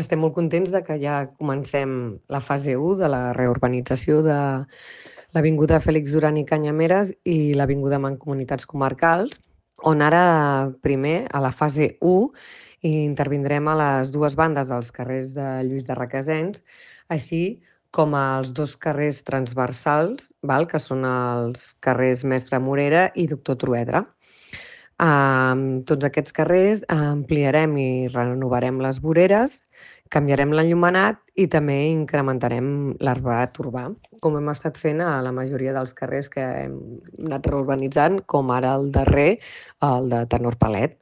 Estem molt contents de que ja comencem la fase 1 de la reurbanització de l'Avinguda Fèlix Duran i Canyameres i l'Avinguda Mancomunitats Comarcals, on ara primer, a la fase 1, intervindrem a les dues bandes dels carrers de Lluís de Requesens, així com als dos carrers transversals, que són els carrers Mestre Morera i Doctor Truedra. Tots aquests carrers ampliarem i renovarem les voreres, canviarem l'enllumenat i també incrementarem l'arbrat urbà, com hem estat fent a la majoria dels carrers que hem anat reurbanitzant, com ara el darrer, el de Tenor Palet.